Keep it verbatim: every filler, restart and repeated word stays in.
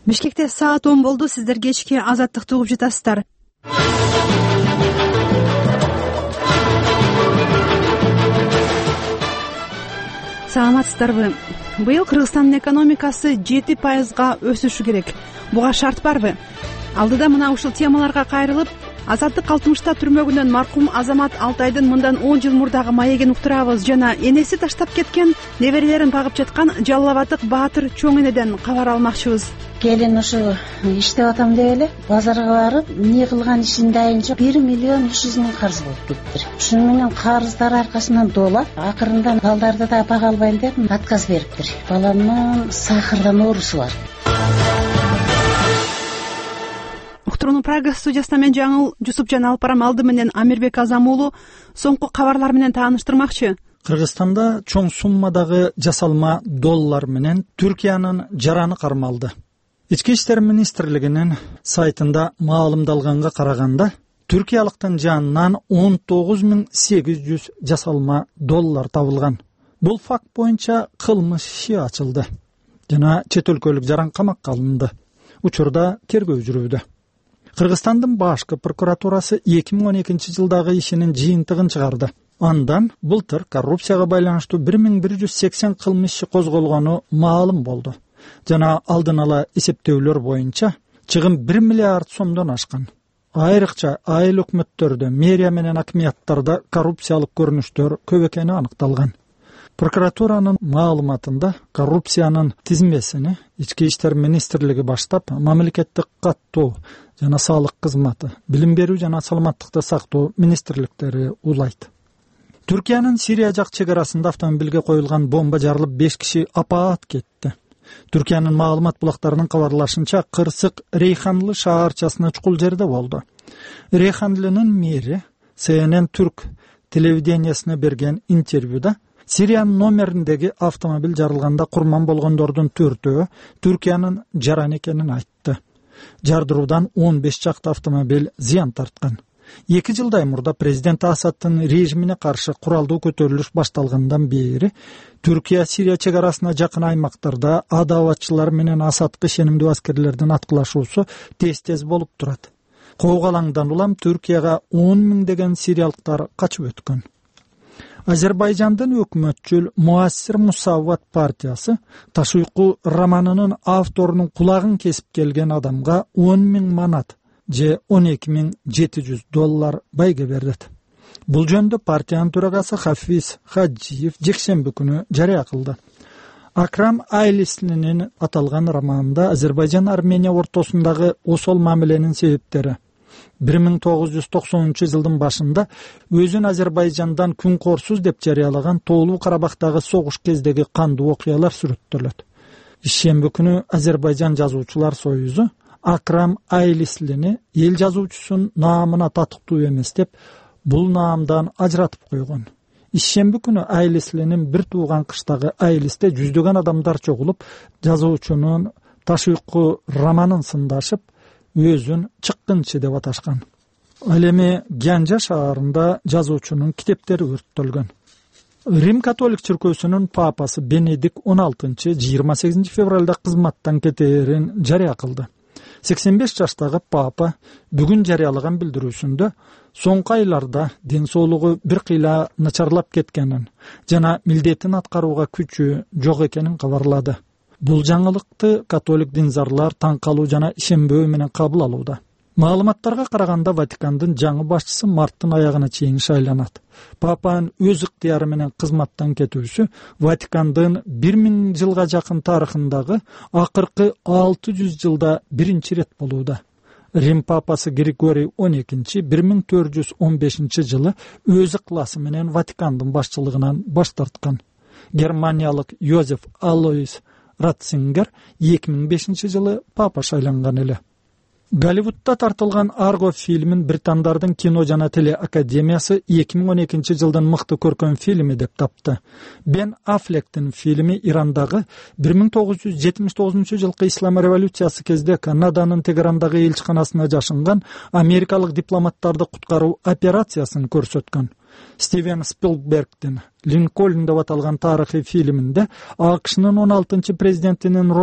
Бишкекте саат он болду. Сиздер кечки Азаттыкты угуп жатасыздар. Саламатсыздарбы? Быйыл Кыргызстандын экономикасы жети пайызга өсүшү керек. Буга шарт барбы? Алдыда мына ушул темаларга кайрылып, Азаттык алтымышта түрмөгүнөн маркум Азамат Алтайдын мындан он жыл мурдагы маегин уктурабыз жана энеси таштап кеткен, неберелерин багып жаткан Жалал Абадык Баатыр чоң энеден кабар алмакчыбыз. Келин ушу иштеп атам деп эле базарга барып, эмне кылган ишинде айынча бир миллион үч жүз миң карыз болуп кетиптир. Ушуну менен карыздар аркасынан долап, акырында балдарды да бага албайм деп отказ бериптир. Баламдын сахардан оорусу бар. Уктуруунун прогресс студиясында мен Жаңыл Жусупжан алып барам. Алды менен Амирбек Азам уулу соңку кабарлар менен тааныштырмакчы. Кыргызстанда чоң суммадагы жасалма доллар менен Түркиянын жараны кармалды. Ички иштер министрлигинин сайтында маалымдалганга караганда, түркиялыктын жанынан он тогуз миң сегиз жүз жасалма доллар табылган. Бул факт боюнча кылмыш иши ачылды жана чет өлкөлүк жаран камакка алынды. Учурда тергөө жүрүүдө. Кыргызстандын башкы прокуратурасы эки миң он экинчи жылдагы ишинин жыйынтыгын чыгарды. Андан былтыр коррупцияга байланыштуу бир миң бир жүз сексен кылмыш иши козголгону маалым болду. Жана алдын ала эсептөөлөр боюнча чыгым бир миллиард сомдон ашкан. Айрыкча айыл өкмөттөрдө, мэрия менен акимияттарда коррупциялык көрүнүштөр көп экени аныкталган. Прокуратуранын маалыматында коррупциянын тизмесини Ички иштер министрлиги баштап, мамлекеттик каттоо жана салык кызматы, билим берүү жана саламаттыкты сактоо министрликтери улайт. Түркиянын Сирия жак чек арасында автомобилге коюлган бомба жарылып беш киши апаат кетти. Түркиянын маалымат булактарынын кабарлашынча, Кырсык Рейханлы шаарчасына чукул жерде болду. Рейханлынын мэри С Н Н Түрк телевидениясына берген интервьюда Сириянын номериндеги автомобиль жарылганда курман болгондордун төртөө Түркиянын жараны экенин айтты. Жардыруудан он беш чакты автомобиль зыян тарткан. Эки жылдай мурда президент Асадтын режимине каршы куралдуу көтөрүлүш башталгандан бери Түркия Сирия чек арасына жакын аймактарда адабатчылар менен Асадка ишенимдүү аскерлердин аткылашуусу тез-тез болуп турат. Коогалаңдан улам Түркияга он миңдеген сириялыктар качып өткөн. Азербайжандын өкмөтчүл Муассир Мусавват партиясы Таш уйку романынын авторунун кулагын кесип келген адамга он миң манат же он эки миң жети жүз доллар байге берет. Бул жөнүндө партиянын төрагасы Хафиз Хаджиев жекшемби күнү жарыя кылды. Акрам Айлислинин аталган романында Азербайжан Армения ортосундагы осол мамиленин себептери бир миң тогуз жүз токсонунчу жылдын башында өзүн Азербайжандан күн корсуз деп жарыялаган Тоолуу Карабактагы согуш кездеги кандуу окуялар сүрөттөлөт. Ишемби күнү Азербайжан жазуучулар союзу Акрам Айлислини эл жазуучусунун наамына татыктуу эмес деп бул наамдан ажыратып койгон. Ишемби күнү Айлислинин бир тууган кыштагы Айлисте жүздөгөн адамдар чогулуп, жазуучунун Таш уйку романын сындашып, өзүн чыккынчы деп аташкан. Ал эми Гянжа шаарында жазуучунун китептери өрттөлгөн. Рим католик чиркөөсүнүн папасы Бенедикт он алтынчы жыйырма сегизинчи февралда кызматтан кетээрин жарыя кылды. сексен беш жаштагы папа бүгүн жарыялаган билдирүүсүндө соңку айларда ден соолугу бир кыйла начарлап кеткенин жана милдетин аткарууга күчү жок экенин кабарлады. Бул жаңылыкты католик динзарлар таң калуу жана ишенбөө менен кабыл алууда. Маалыматтарга караганда Ватикандын жаңы башчысы марттын аягына чейин шайланат. Папанын өз ыктыяры менен кызматтан кетүүсү Ватикандын бир миң жылга жакын тарыхындагы акыркы алты жүз жылда биринчи рет болууда. Рим папасы Григорий он экинчи бир миң төрт жүз он бешинчи жылы өз ыкласы менен Ватикандын башчылыгынан баш тарткан. Германиялык Йозеф Алоис Ратцингер эки миң бешинчи жылы папа шайланган эле. Голливудда тартылган Арго фильмин британдардын кино жана теле академиясы эки миң он экинчи жылдын мыкты көркөм фильми деп тапты. Бен Аффлектин фильми Ирандагы бир миң тогуз жүз жетимиш тогузунчу жылкы ислам революциясы кезде Канаданын Тегерандагы элчиканасына жашынган америкалык дипломаттарды куткаруу операциясын көрсөткөн. Стивен Спилбергдин Линкольн деп аталган тарыхый фильминде АКШнын он алтынчы президентинин